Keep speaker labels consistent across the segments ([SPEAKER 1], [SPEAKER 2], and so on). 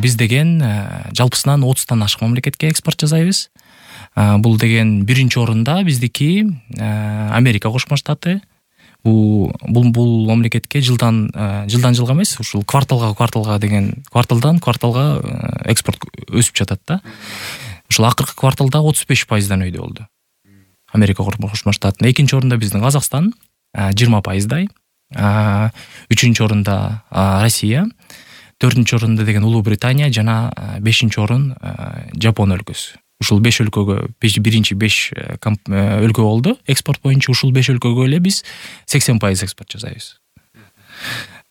[SPEAKER 1] биз деген жалпысынан 30тан ашык мамлекетке экспорт жасайбыз. Бул деген биринчи орунда биздики Америка Кошмо Штаты. Бул мамлекетке жылдан жылга эмес, ушул кварталга деген кварталдан кварталга экспорт өсүп жатат да. Ушул акыркы кварталда 35%дан өйдө болду. Америка Кошмо Штатына. Экинчи орунда биздин Казакстан 20%дай. Үчүнчү орунда Россия, 4-нчү орунда деген Улуу Британия жана 5-нчи орун Жапон өлкөсү. Ушул 5 өлкөгө биринчи 5 өлкө болду. Экспорт боюнча ушул 5 өлкөгө эле биз 80% экспорт жасайбыз.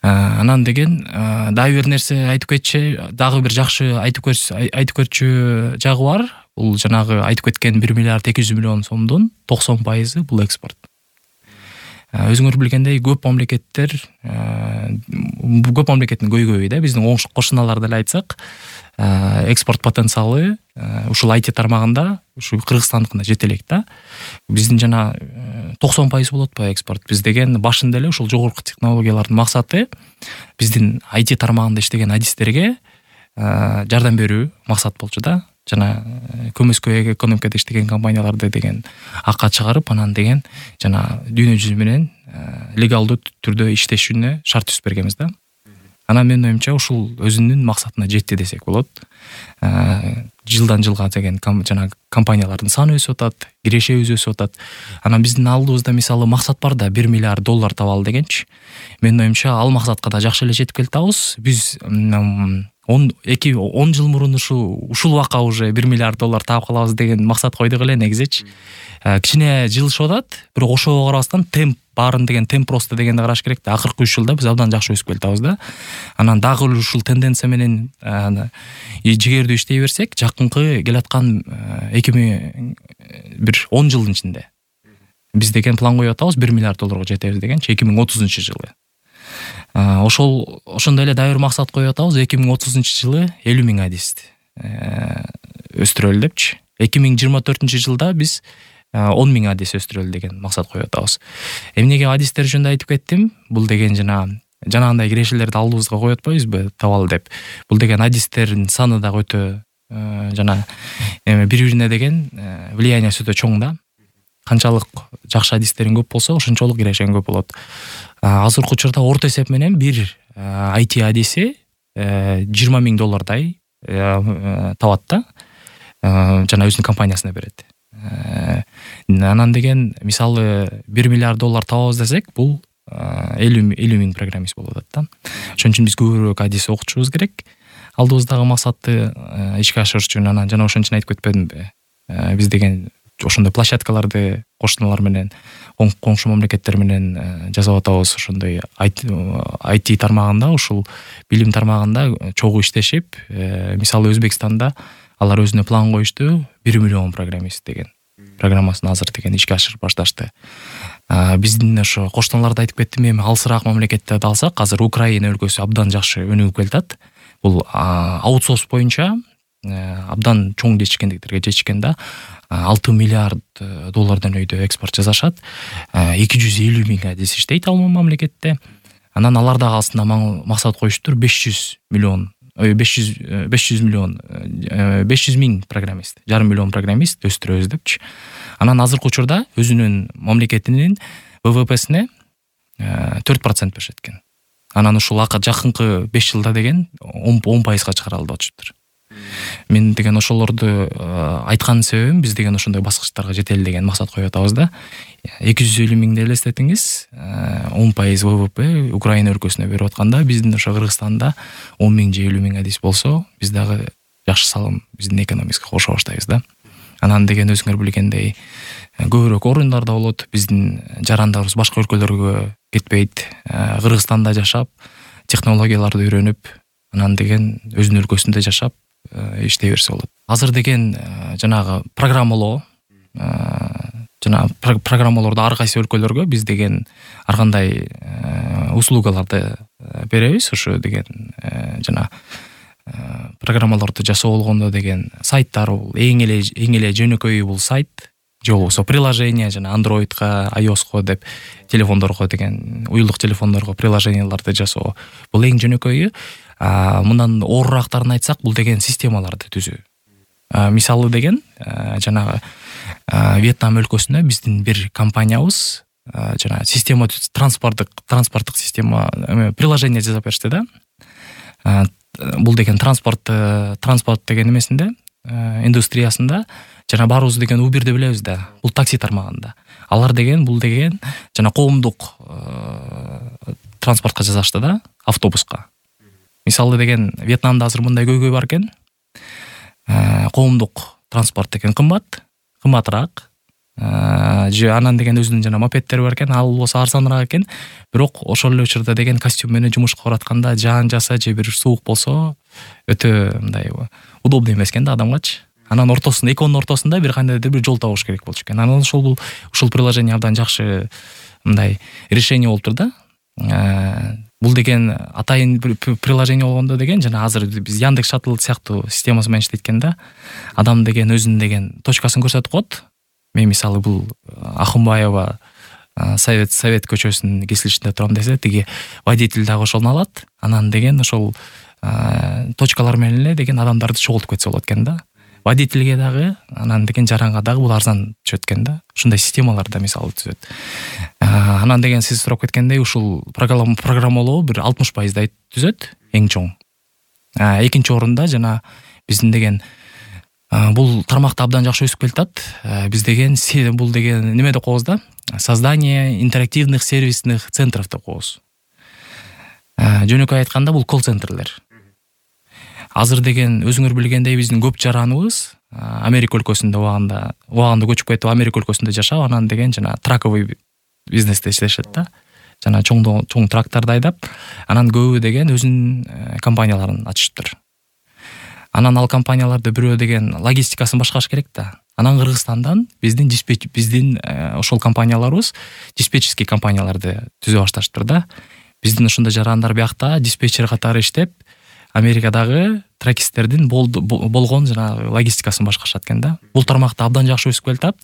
[SPEAKER 1] Анан деген дагы бир нерсе айтып кетчи, дагы бир жакшы айтып көрчү жагы бар. Бул жанагы айтып кеткен 1 миллиард 200 миллион сомдун 90% бул экспорт. Өзүңөр билгендей көп мамлекеттин көйгөйү да, биздин кошуналарды эле айтсак, экспорт потенциалы ушул IT тармагында ушу Кыргызстандыкына жете элек да. Биздин жана 90% болот по экспорт. Биз деген башында эле ушул жогорку технологиялардын максаты биздин IT тармагында иштеген адистерге жардам берүү максат болчу да. Жана көмөскө экономикада иштеген компанияларды деген акка чыгарып, анан деген жана дүйнө жүзү менен легалдуу түрдө иштешине шарт түзүп бергенбиз да. Анан менин оюмча ушул өзүнүн максатына жетти десек болот. Жылдан жылга деген жана компаниялардын саны өсүп атат, кирешебиз өсүп атат. Анан биздин алдыбызда мисалы максат бар да, $1 миллиард табалы дегенчи. Менин оюмча ал максатка да жакшы эле жетип келатабыз. Биз 10 жыл мурун ушул убакка уже $1 миллиард таап калабыз деген максат койдук эле негизичи. Кичине жылышып атат, бирок ошого карабастан темп баарын деген темп просто дегенди караш керек да. Акыркы 3 жылда биз абдан жакшы өсүп келатабыз да. Анан дагы ушул тенденция менен жигердүү иштей берсек, жакынкы келаткан 10 жылдын ичинде биз деген план коюп атабыз, $1 миллиард жетебиз дегенчи 2030-жылы. Ошондой эле дагы бир максат коюп атабыз, 2030-жылы 50,000 адисти өстүрөлү депчи. 2024-жылда биз 10,000 адис өстүрөлү деген максат коюп атабыз. Эмнеге адистер жөнүндө айтып кеттим? Бул деген жанагындай кирешелерди алдыбызга коюп атпайбызбы табалы деп. Бул деген адистердин саны дагы өтө жана бири-бирине деген влияниясы өтө чоң да. Канчалык жакшы адистериң көп болсо, ошончолук кирешең көп болот. Азыркы учурда орто эсеп менен бир IT адиси $20,000 табат да. Жана өзүнүн компаниясына берет. Анан деген мисалы $1 миллиард табабыз десек, бул 50,000 программист болуп атат да. Ошон үчүн биз көбүрөөк адис окутушубуз керек. Алдыбыздагы максатты ишке ашырыш үчүн. Анан жана ошон үчүн айтып кетпедимби? Биз деген ошондой площадкаларды кошуналар менен, коңшу мамлекеттер менен жасап атабыз. Ошондой IT тармагында, ушул билим тармагында чогуу иштешип, мисалы Өзбекстанда алар өзүнө план коюшту, 1 миллион программист деген программасын азыр деген ишке ашырып башташты. Биздин ошо кошуналарды айтып кеттим, эми алысыраак мамлекеттерди алсак, азыр Украина өлкөсү абдан жакшы өнүгүп келатат. Бул аутсорс боюнча абдан чоң жетишкендиктерге жетишкен да. $6 миллиард өйдө экспорт жасашат. 250,000 адис иштейт ал мамлекетте. Анан алар дагы астына максат коюштур, 500 миң программист, $500 миллион программист өстүрөбүз депчи. Анан азыркы учурда өзүнүн мамлекетинин ВВПсине 4% беришет экен. Анан ушул жакынкы 5 жылда деген 10%га чыгара алып атышыптыр. Мен деген ошолорду айткан себебим, биз деген ошондой баскычтарга жетели деген максат коюп атабыз да. 250 миңди элестетиңиз, 10% ВВП Украина өлкөсүнө берип атканда, биздин ошо Кыргызстанда 10 миң же 50 миң адис болсо, биз дагы жакшы салым биздин экономикага кошо баштайбыз да. Анан деген өзүңөр билгендей көбүрөөк орундарда болот, биздин жарандарыбыз башка өлкөлөргө кетпейт, Кыргызстанда жашап, технологияларды үйрөнүп, анан деген өзүнүн өлкөсүндө жашап иштей берсе болот. Азыр деген жанагы программалоо, программалоорду ар кайсы өлкөлөргө биз деген ар кандай услугаларды беребиз. Ошо деген жана программаларды жасоо болгондо деген сайттар, бул эң эле жөнөкөйү бул сайт. же болбосо приложение жана Android'га, iOS'ко деп телефондорго деген уюлдук телефондорго приложенияларды жасоо. Бул эң жөнөкөйү. Мындан оорурактарын айтсак, бул деген системаларды түзүү. Мисалы деген жанагы Вьетнам өлкөсүндө биздин бир компаниябыз жана система транспорттук система приложение жасап беришти да. Бул деген транспорт деген эмесинде, индустриясында жана баарыбыз деген Uber'ди билебиз да. Бул такси тармагында. Алар деген бул деген жана коомдук транспортко жасашты да, автобуска. Мисалы деген Вьетнамда азыр мындай көйгөй бар экен. Коомдук транспорт деген кымбатыраак. Же анан деген өзүнүн жана мопеддери бар экен, ал болсо арзаныраак экен. Бирок ошол эле учурда деген костюм менен жумушка баратканда жаан жаса же бир суук болсо өтө мындай удобный эмес экен да адамгачы. Анан ортосунда, экөөнүн ортосунда бир кандайдыр бир жол табыш керек болчу экен. Анан ушул приложение абдан жакшы мындай решение болуптур да. Бул деген атайын приложение болгондо деген жана азыр биз Яндекс Шаттл сыяктуу системасы менен иштейт экен да. Адам деген өзүнүн деген точкасын көрсөтүп коет. Мен мисалы бул Ахунбаева Совет көчөсүнүн кесилишинде турам десе, тиги водитель дагы ошону алат. Анан деген ошол точкалар менен эле деген адамдарды чогултуп кетсе болот экен да. Водительге дагы, анан деген жаранга дагы бул арзан түшөт экен да. Ушундай системалар да мисалы түзөт. Анан деген сиз сурап кеткендей, ушул программалоо бир 60% түзөт, эң чоң. Экинчи орунда жана биздин деген бул тармакта абдан жакшы өсүп келатат. Биз деген бул деген неме деп коебуз да? Создание интерактивных сервисных центров деп коебуз. Жөнөкөй айтканда бул колл-центрлер. Азыр деген өзүңөр билгендей биздин көп жараныбыз Америка өлкөсүндө убагында көчүп кетип Америка өлкөсүндө жашап, анан деген жана траковый бизнесте иштешет да. Жана чоң тракторду айдап, анан көбү деген өзүнүн компанияларын ачыштыр. Анан ал компанияларды бирөө деген логистикасын башкарыш керек да. Анан Кыргызстандан биздин ошол компанияларыбыз диспетчерский компанияларды түзө башташтыр да. Биздин ушундай жарандар биякта диспетчер катары иштеп, Америкадагы тракистердин болгон жана логистикасын башкарышат экен да. Бул тармакта абдан жакшы өсүп келатат.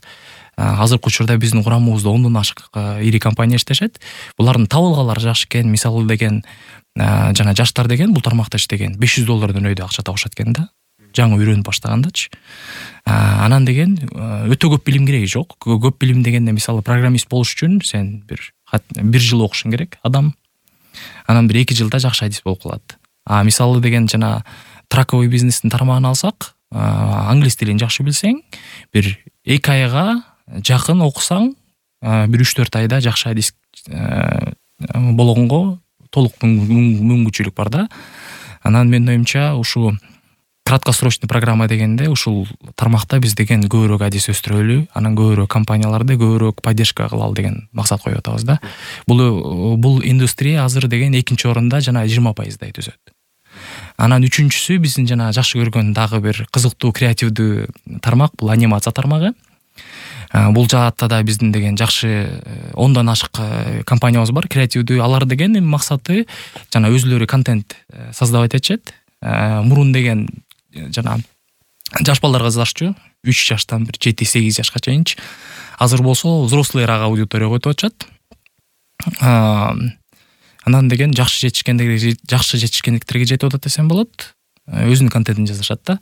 [SPEAKER 1] Азыркы учурда биздин курамыбызда 10дон ашык ири компания иштешет. Булардын табылгалары жакшы экен. Мисалы деген жана жаштар деген бул тармакта иштеген $500 өйдө акча табышат экен да. Жаңы үйрөнүп баштагандачы. Анан деген өтө көп билим кереги жок. Көп билим дегенде мисалы программист болуш үчүн сен бир жыл окушуң керек адам. Анан бир 2 жылда жакшы адис болуп калат. Мисалы деген жана траковый бизнестин тармагын алсак, англис тилин жакшы билсең, бир 2 айга жакын окусаң, бир 3-4 айда жакшы адис болгонго толук мүмкүнчүлүк бар да. Анан менин оюмча ушу краткосрочный программа дегенде ушул тармакта биз деген көбүрөөк адис өстүрөлү, анан көбүрөөк компанияларды көбүрөөк поддержка кылалы деген максат коюп атабыз да. Бул индустрия азыр деген 2-нчи орунда жана 20% түзөт. Анан 3-нчүсү биздин жана жакшы көргөн дагы бир кызыктуу креативдүү тармак, бул анимация тармагы. Бул жаатта да биздин деген жакшы 10дон ашык компаниябыз бар, креативдүү. Алар деген максаты жана өзүлөрү контент создавать этишет. Мурун деген жана жаш балдарга жазышчу, 3 жаштан бир 7-8 жашка чейинчи. Азыр болсо взрослыйраак аудиторияга өтүп атышат. Анан деген жакшы жетишкендиктерге жетип атат десем болот. Өзүнүн контентин жазышат да.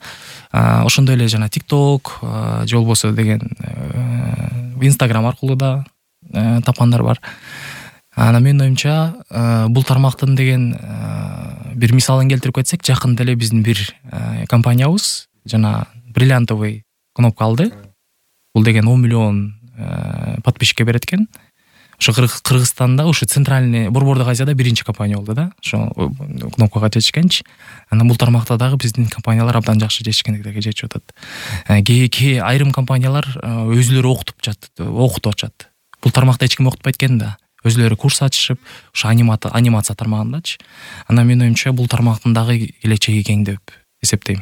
[SPEAKER 1] Ошондой эле жана TikTok, же болбосо деген Instagram аркылуу да тапкандар бар. Анан менин оюмча бул тармактын деген бир мисалын келтирип кетсек, жакында эле биздин бир компаниябыз жана бриллиантовый кнопка алды. Бул деген 10 миллион подписчикке берет экен. Ошо Кыргызстанда ушу центральный Борбордук Азияда биринчи компания болду да. Ошо кнопкага жетишкенчи. Анан бул тармакта дагы биздин компаниялар абдан жакшы жетишкендиктерге жетип атат. Айрым компаниялар өзүлөрү окутуп атышат. Бул тармакта эч ким окутпайт экен да. Өзүлөрү курс ачышып, ошо анимация тармагындачы. Анан менин оюмча бул тармактын дагы келечеги кең деп эсептейм.